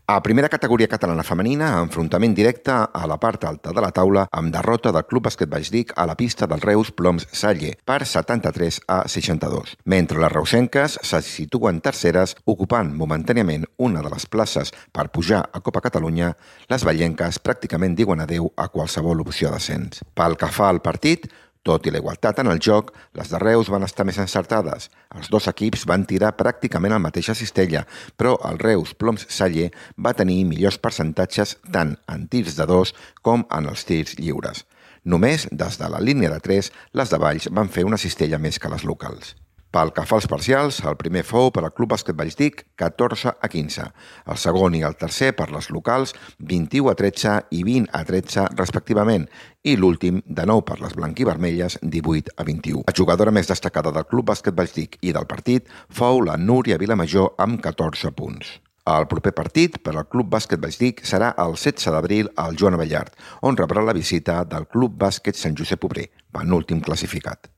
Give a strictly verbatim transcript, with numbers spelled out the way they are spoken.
A primera categoria catalana femenina, enfrontament directe a la part alta de la taula amb derrota del Club Bàsquet Valldric a la pista del Reus Ploms Salle per setanta-tres a seixanta-dos. Mentre les reusenques se situen terceres, ocupant momentàniament una de les places per pujar a Copa Catalunya, les vallenques pràcticament diuen adeu a qualsevol opció d'ascens. Pel que fa al partit, tot i la igualtat en el joc, les de Reus van estar més encertades. Els dos equips van tirar pràcticament al mateix cistella, però el Reus Ploms Salle va tenir millors percentatges tant en tirs de dos com en els tirs lliures. Només des de la línia de tres, les de Valls van fer una cistella més que les locals. Pel que fa als parcials, el primer fou per al Club Bàsquet Valldric, catorze a quinze. El segon i el tercer per les locals, vint-i-u a tretze i vint a tretze respectivament. I l'últim, de nou per les blanquivermelles, divuit a vint-i-u. La jugadora més destacada del Club Bàsquet Valldric i del partit fou la Núria Vilamajor amb catorze punts. El proper partit per al Club Bàsquet Valldric serà el setze d'abril al Joan Abellart, on rebrà la visita del Club Bàsquet Sant Josep Obrer, penúltim classificat.